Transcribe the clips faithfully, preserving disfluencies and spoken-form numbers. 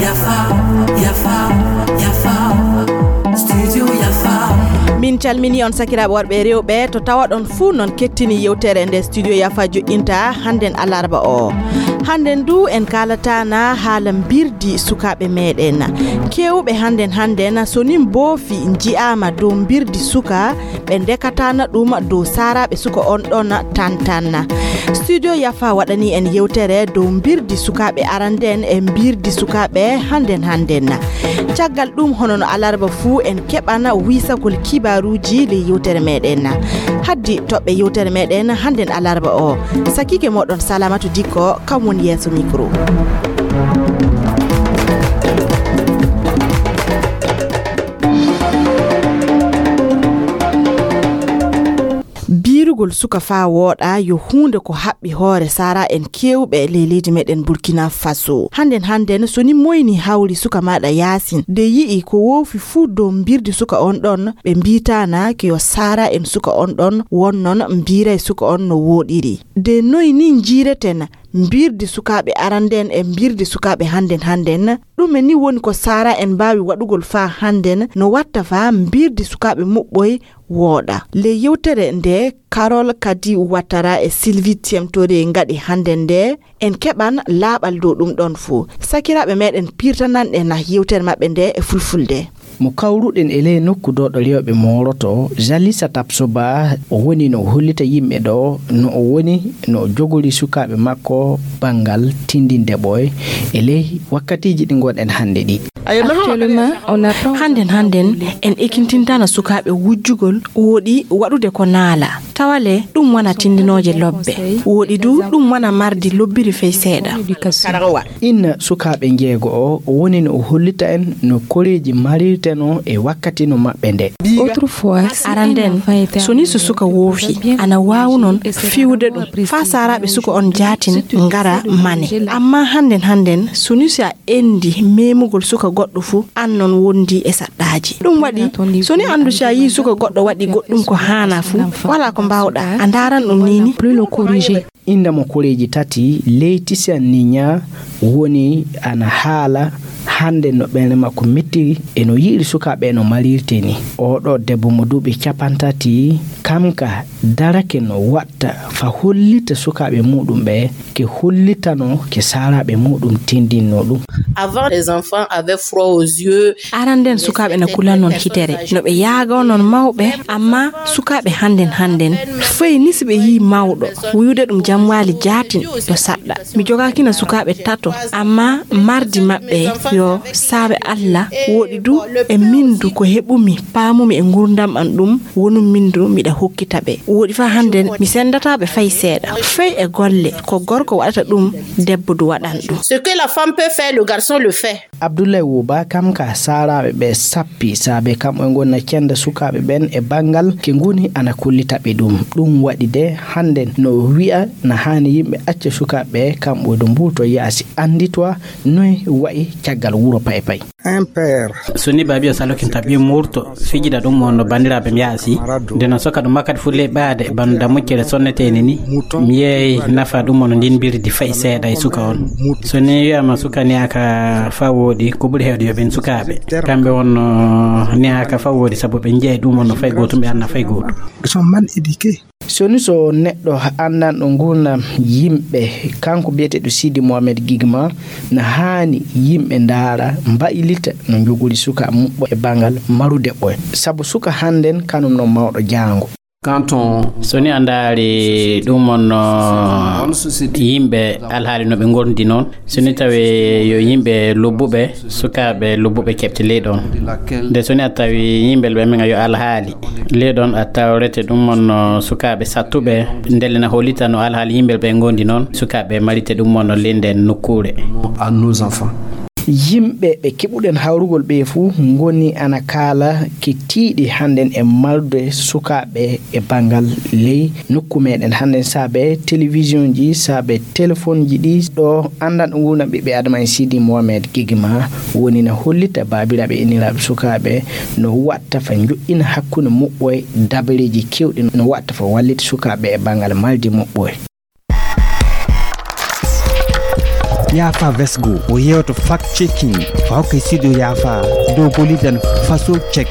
Yafa, yafa, yafa. Studio Yafa. Min calmini on sakiraaɓe worɓe e rewɓe to tawaɗon fuu non kettini yewtere nde Studio Yafa joƴƴinta hannden alarba o. Hannden du en kaalataana haala mbirdi sukaaɓe meeɗen. Keewɓe hannden hannden so nin boofi nji'aama dow mbirdi suka ɓe ndekataana ɗum dow saaraaɓe suka on ɗon tantanna. Studio Yafa waɗani en yewtere dow mbirdi sukaaɓe aranden e mbirdi sukaaɓe hannden hannden. Caggal ɗum hono no alarba fuu en keɓana wiisagol kibaaruuji ley yewtere meeɗen. Haddi toɓɓe yewtere meeɗen hannden alarba o. Sakiike mooɗon Salamatu Dikko kam woni yeeso mikro. Biirugol suka faa wooɗa yo huunde ko haɓɓi hoore saara en keewɓe ley leydi meɗen Burkina Faso. Hannden hannden so ni moyni hawri suka maaɗa yaasin de yi'i ko woofi fuu dow mbirdi suka on ɗon ɓe mbiitaana ke yo saara en suka on ɗon wonnon mbiiray suka on no wooɗiri. De noy ni njiireten mbirdi sukaaɓe aranden e mbirdi sukaaɓe hannden hannden? Ɗume ni woni ko saara en mbaawi waɗugol faa hannden no watta faa mbirdi sukaaɓe muɓɓoy wooɗa? Ley yewtere nde Carol Kadi Watara e Sylvie Tiemtore ngaɗi hannden nde en keɓan laaɓal dow ɗum ɗon fuu. Sakiraaɓe meɗen pirtananɗe na yewtere maɓɓe nde e fulfulde. Mo kawruɗen e ley nokku dooɗo rewɓe mooroto, Jalisa Tapsoba, o woni no hollita yimɓe ɗo no o woni no o jogori sukaaɓe makko banngal tindinde ɓooy e ley wakkatiiji ɗi ngonɗen hannde ɗi. Hannden hannden en ekintintana sukaaɓe wujjugol wooɗi waɗude ko naala. Tawale ɗum wona tindinooje lobbe. Wooɗi du ɗum wona mardi lobbiri fey seeɗa. Inna sukaaɓe njeego o woni no o hollita en no koreeji marirteno e wakkati no maɓɓe nde. Aranden, so ni so suka woofi, ana waawu non fiwude ɗum faa saaraaɓe suka on jaatin ngara mane. Amma hannden hannden, so ni so a endi memugol suka goɗɗo fu, an non wondi e saɗɗaaji. Ɗum waɗi, so ni anndu si a yii suka goɗɗo waɗi goɗɗum ko haana fu, wala ko mbaawɗa, a ndaaran ɗum ni ni. Inda mo koreeji tati, Leyti Seninya woni ana haala hannde no ɓernde makko mettiri e no yi'iri sukaaɓe no marirte ni. Oɗo debbo mo duuɓi capantati, kam ka darake no waɗta fa hollita sukaaɓe muɗum ɓe, ke hollitano ke saaraaɓe muɗum tindinno ɗum. Avant, les enfants avaient froid aux yeux. Aranden sukaaɓe na kulan non hitere, no ɓe yaaga non mawɓe, amma sukaaɓe hannden hannden, fay ni si ɓe yii mawɗo, wuyude ɗum jamwaali jaatin yo saɗɗa. Mi jogaakina sukaaɓe tato, amma mardi maɓɓe yo saabe Alla wooɗi du e min du ko heɓumi, paamumi e ngurdam an ɗum, wonum min du miɗa hokkita ɓe. Wooɗi faa hannden mi senndataa ɓe fay seeɗa. Fay e golle, ko gorko waɗata ɗum, debbo du waɗan ɗum. Ce que la femme peut faire, le garçon le fait. Abdoulaye Wouba kam ka saaraaɓe ɓe sappi, saabe kam e ngonna cennda sukaaɓe ɓen e banngal ke ngoni ana kollita ɓe ɗum. Ɗum waɗi de hannden no wi'a na haani yimɓe acca sukaaɓe ɓe kamɓe ɗo mbuuto yaasi annditwa noy wa'i caggal wuro pay pay. Un père. So ni baabi o salokinta ɓiye murto fijida ɗum on no banndiraaɓe mi yaasi. Nde no soka ɗum makkat fulle ɓaade bano dammuccere sonneteni ni. Mi yeey nafa ɗum on ndin mbirdi fay seeɗa e suka on. So ni wiyama suka ni aka fa woodi ko ɓuri heewde yo ɓen sukaaɓe. Kamɓe on no ni aka fa woodi sabu ɓe njeey ɗum on no fay gootum ɓe anna fay gootum. Ils sont mal éduqués. So ni so neɗɗo anndanɗo ngurnam yimɓe, kanko biyeteeɗo Sidi Mohamed Gigma, na haani yimɓe ndaara, mbaylita no njogori suka muɓɓo e banngal marude ɓoy. Sabu suka hannden kanum no mawɗo jaango. Quand on So ni a ndaari ɗum on no yimɓe alhaali no ɓe ngondi noon, so ni tawi yo yimɓe lobbuɓe, sukaaɓe lobbuɓe keɓte ley ɗon. Nde so ni a tawi yimɓe ɓe min a yo alhaali ley ɗon a tawrete ɗum on no sukaaɓe sattuɓe, ndelle na hollita no alhaali yimɓe ɓe ngondi noon, sukaaɓe marite ɗum on no ley nden nokkuure. À nos enfants. Yimɓe ɓe keɓuɗen hawrugol ɓe fuu ngoni ana kaala ke tiiɗi hannden e marde sukaaɓe e banngal ley nokku meɗen hannden saabe télévision ji, saabe téléphone ji ɗi. Ɗo anndan ɗo ngurndan ɓiɓɓe Adama en Sidi Mohamed Gigma woni na hollita baabiraaɓe inniraaɓe sukaaɓe no watta fa njoɗɗina hakkunde muɓɓoy dabareeji kewɗi no watta fa wallita sukaaɓe e banngal maldi muɓɓoy. Yaafa Vesgo o yeewto fact checking fa hokkay sido yaafa dow golidan faso check.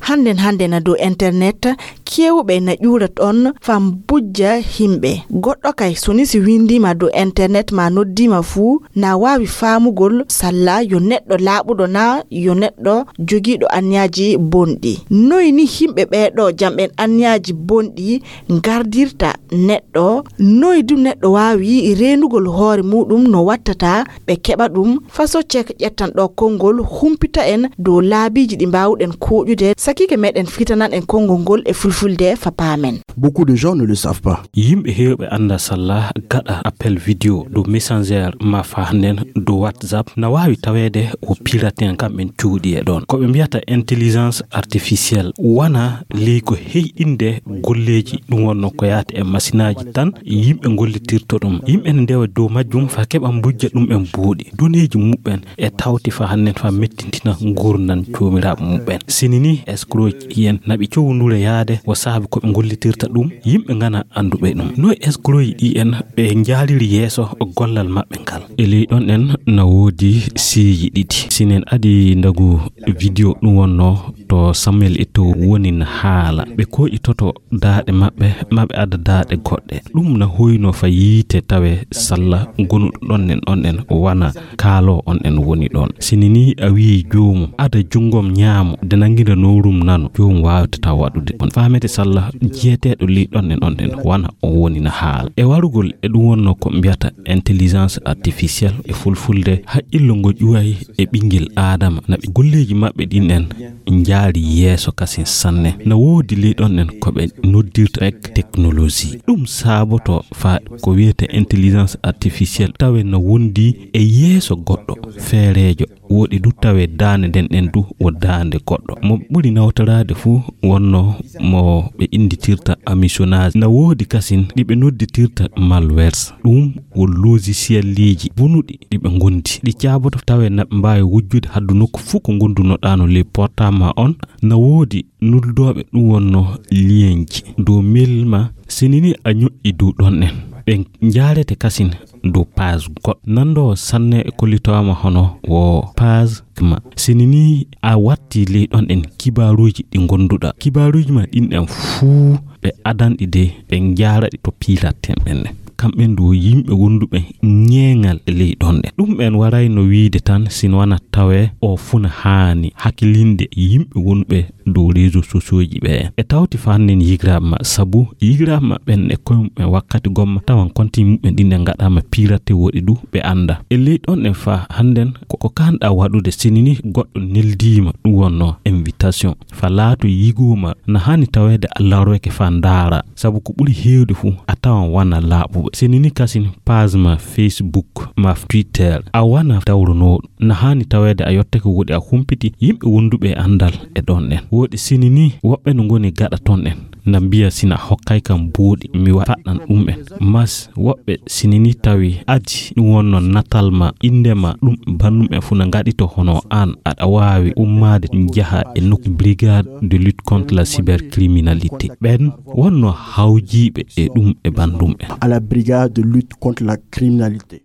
Hannden hannden na dow internet, keewɓe na ƴuura ɗon faa mbujja himɓe. Goɗɗo kay, so ni si winndiima dow internet maa noddiima fuu, na waawi faamugol salla yo neɗɗo laaɓuɗo naa yo neɗɗo jogiiɗo anniyaaji bonɗi. Noy ni himɓe ɓee ɗoo jamɓen anniyaaji bonɗi ngardirta neɗɗo? Noy du neɗɗo waawi reenugol hoore muuɗum no wattata ɓe keɓa ɗum? Faso Cek ƴettan ɗoo konngol, humpita en dow laabiiji ɗi mbaawuɗen kooƴude sakiike meɗen fitanan en konngol ngol e fulfulde fa paamen. Beaucoup de gens ne le savent pas. Yimɓe heewɓe annda salla gaɗa appel vidéo dow Messenger ma fa nden dow WhatsApp na waawi taweede o pirate en kamɓen cuuɗi e ɗon. Ko ɓe mbiyata intelligence artificielle wana ley ko heyɗinde golleeji ɗum wonno ko yaata e masinaaji tan yimɓe gollitirta ɗum. Yimɓe ne ndewa dow majjum fa keɓa mbujja ɗum en buuɗi. Doneeji muɓɓen e tawti fa hannden fa mettintina ngurndan joomiraaɓe muɓɓen. Sini ni escroc ɗi en naɓi cowndure yaade o saabi ko ɓe gollitirta ɗum, yimɓe ngana annduɓe ɗum. No escroc ɗi en ɓe njaaliri yeeso gollal maɓɓe ngal. E ley ɗon en na woodi siiji ɗiɗi. Sinen adi ndagu vidéo ɗum wonno to Samuel Eto'o woni na haala. Ɓe koƴitoto daaɗe maɓɓe, ma ɓe adda daaɗe goɗɗe. Ɗum na hoyno fa yiite tawe salla gonuɗo ɗon en, on en wana kaalo on en woni ɗon. Sini ni a wi'i joomum, ada junngom nyaamo, de nanngida noorum nano, joomum waawata waɗude. On faamete salla jeeteeɗo ley ɗon en, on en wana on woni na haala. E warugol e ɗum wonno ko mbiyata intelligence artificielle e fulfulde, haqqillo ngo ƴuway e ɓinngel Aadama, na ɓe golleeji maɓɓe ɗin en njaari yeeso kasin sanne. Na woodi ley ɗon en ko ɓe noddirta ek technologie. Ɗum saaboto fa ko wiyete intelligence artificielle tawe na wondi e yeeso goɗɗo feereejo. Woodi du tawe daande nden ɗen du wo daande goɗɗo. Mo ɓuri nawtoraade fuu wonno mo ɓe innditirta hameçonnage. Na woodi kasin ɗi ɓe nodditirta malwares. Ɗum wo logicielleeji bonuɗi ɗi ɓe ngondi. Ɗi caaboto tawe na ɓe mbaawi wujjude haddu nokku fuu ko ngondunoɗaano ley portable ma on. Na woodi nuldooɓe ɗum wonno lienji dow mail ma. Sini ni a ñoƴƴi dow ɗon en. Ɓe njaarete kasin dow page goɗɗo. Nanndoowo sanne e kollitooma hono wo page ma. Sini ni a watti ley ɗon en kibaaruuji ɗi ngonduɗa. Kibaaruuji ma ɗin en fuu ɓe adanɗi de ɓe njaaraɗi to piiraten ɓen. Kamɓen du yimɓe wonduɓe ñeeŋal e ley ɗon ɗen. Ɗum ɓen warayno wiide tan sino wana tawe o funa haani hakkilinde yimɓe wonɓe dow réseaux sociaux ji ɓe. E tawti fannen yigiraaɓe ma, sabu yigiraaɓe ma ɓen e koye muɓɓen wakkati gomma tawan konti muɓɓen ɗin ɗe ngaɗaama pirate woɗi du ɓe annda. E ley ɗon ɗen fa hannden ko, ko kanɗa waɗude sinini goɗɗo neldiima ɗum wonno invitation. Fa laato yigoo ma na hani taweede a lawroyke fa ndaara, sabu ko ɓuri heewde fuu a tawan wana laaɓuɓe. Sinini kasin page ma Facebook ma Twitter a wana dawronooɗo. Na hani taweede a yottake woɗi a humpiti yimɓe wonduɓe e anndal e ɗon ɗen. Woɗi sinini woɓɓe no ngoni gaɗa ton ɗen. Na mbiya sina hokkay kam buuɗi mi wa-, faɗɗan ɗum en. Mas woɓɓe sinini tawi adi ɗum wonno natal ma, innde ma, ɗum banndum en fuu na ngaɗito hono an aɗa waawi ummaade njaha e nokku brigade de lutte contre la cybercriminalité. Ɓen wonno hawjiiɓe e ɗum e banndum en. À la brigade de lutte contre la criminalité.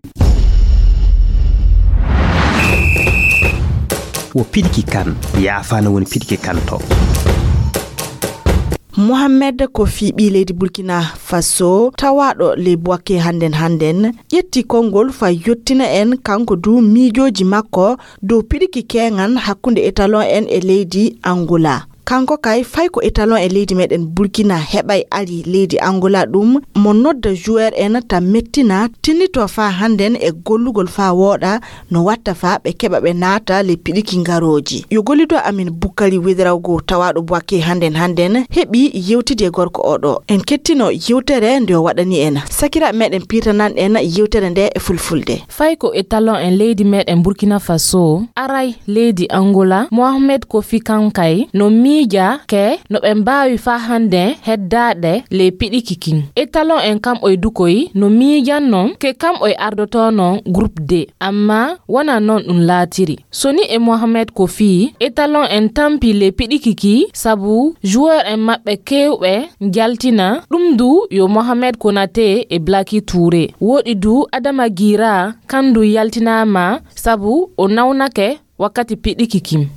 Wo piɗki kan, yaafaano woni piɗki kan to. Mohamed Kofi, ɓii leydi Burkina Faso, tawaaɗo ley Bouaké hannden hannden, ƴetti konngol fa yottina en kanko du miijooji makko dow piɗki keeŋan hakkunde étalon en e leydi Angola. Kanko kay, fay ko étalon e leydi meɗen Burkina heɓay ari leydi Angola, ɗum mo nodda joueur en ta mettina, tinnito faa hannden e gollugol faa wooɗa, no watta faa ɓe keɓa ɓe naata le piɗiki ngarooji. Yo gollido amin Bukkari Wederago, tawaaɗo Bouaké hannden hannden, heɓi yewtidi e gorko oɗo. En kettino yewtere nde o waɗani en. Sakiraaɓe meɗen, piitanan en yewtere nde e fulfulde. Fay ko étalon en leydi meɗen Burkina Faso, aray leydi Angola, Mohamed Kofi Kankay no mi miija ke no ɓe mbaawi faa hannde heddaade ley piɗiki kin. Étalon en kamɓoy dukoy no miijan non ke kamɓoy ardotoo non groupe D, amma wonaa non ɗum laatiri. Soni e Mohamed Kofi, Étalon en tampi ley piɗiki ki sabu joueur en maɓɓe keewɓe njaltina. Ɗum du yo Mohamed Konaté e Blacky Touré. Woɗi du Adama Gira, kandu yaltinaama sabu o nawnake wakkati piɗiki kin.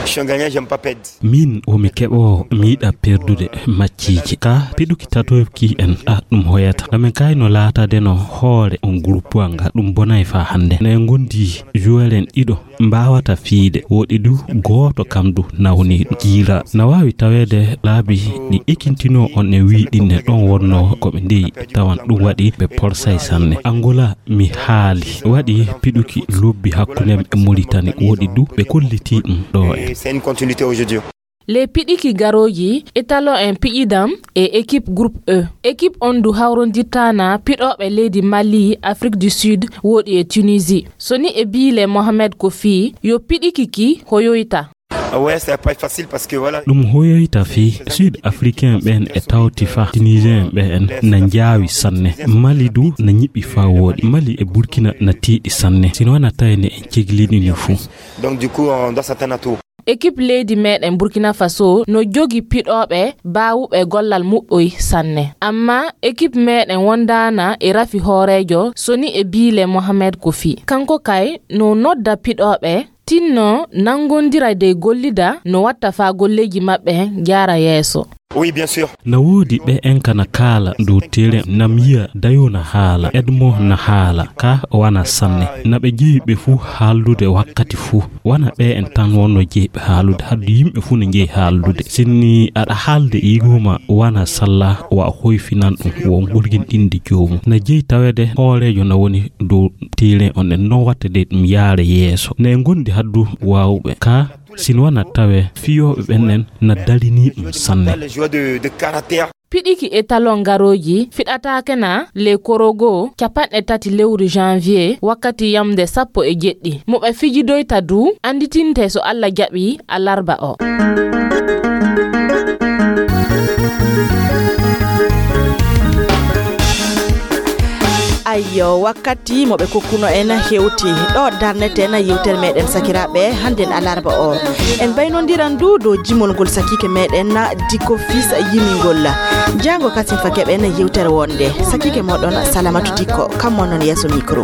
Je suis un gagnant, j'aime pas perdre. Min womi keɓoowo, mi yiɗa perdude macciiji. Ka piɗuki tatoki en, a ɗum hoyata. Amin kay no laatade no hoore on groupe nga, ɗum bonay faa hannde. Ne ngondi joueur en ɗiɗo mbaawata fiide, woɗi du gooto kam du nawni Gira. Na waawi taweede laabi ɗi ekintinoo on e wii ɗin ne ɗon wonnoo ko ɓe ndeyi tawan ɗum waɗi ɓe porsay sanne. Angola mi haali, waɗi piɗuki lobbi hakkunde e Mauritanie, woɗi du ɓe kollitii ɗum ɗo e. C'est une continuité aujourd'hui. Ley piɗiki garooji, Étalon en piƴidan e équipe groupe E. Équipe on du hawrondirtaana piɗooɓe leydi Mali, Afrique du Sud, woɗi e Tunisie. Soni e biile Mohamed Kofi, yo piɗiki ki hoyoyta. Ah ouais, c'est pas facile parce que voilà. Ɗum hoyoyta fii Sud Africain ɓen e tawti fa Tunisien ɓen na njaawi sanne. Mali du na ñiɓi fa woɗi. Mali e Burkina na tiiɗi sanne. Sino wana tawene en cegliɗini fuu. Donc du coup, on doit s'attendre à tout. Équipe leydi meɗen Burkina Faso no jogi piɗooɓe baawuɓe gollal muɓɓoy sanne. Amma équipe meɗen wondaana e rafi hooreejo Soni e biile Mohamed Kofi. Kanko kay no nodda piɗooɓe tinno nangondira dey gollida no watta faa golleeji maɓɓe jaara yeeso. Oui, bien sûr. Na woodi ɓe en kana kaala dow terrain, na mi yi'a Dayo na haala, Edmo na haala, ka wana sanne. Na ɓe jeyi ɓe fuu haaldude wakkati fuu. Wana ɓe en tan wonno jeyi ɓe haaldude, haddu yimɓe fuu no jeyi haaldude. Sinni aɗa haalde igoma wana salla wa hoyfinan ɗum, wo ngurgin ɗinde joomum. Na jeyi taweede hooreejo na woni dow terrain on en, non watta de ɗum yaara yeeso. Ne ngondi haddu waawuɓe. Ka sin wana tawe fiyooɓe ɓen en na darini ɗum sanne. Les joueurs de, de caractère. Piɗiki Étalon garooji fiɗataake na ley korogo capanɗe tati lewru janvier wakkati yamde sappo e jeɗɗi. Mo ɓe fijidoyta du annditinte so Alla jaɓi alarba o. Ayyo, wakkati mo ɓe kokkuno en hewti. Ɗo darneten yewtere meɗen sakiraaɓe hannden alarba o. En baynondiran du dow jimol ngol sakiike meɗen Diko Fils yimingol. Jaango kasin fa keɓen yewtere wonde. Sakiike moɗon Salamatu Diko, kam mon non yeeso micro.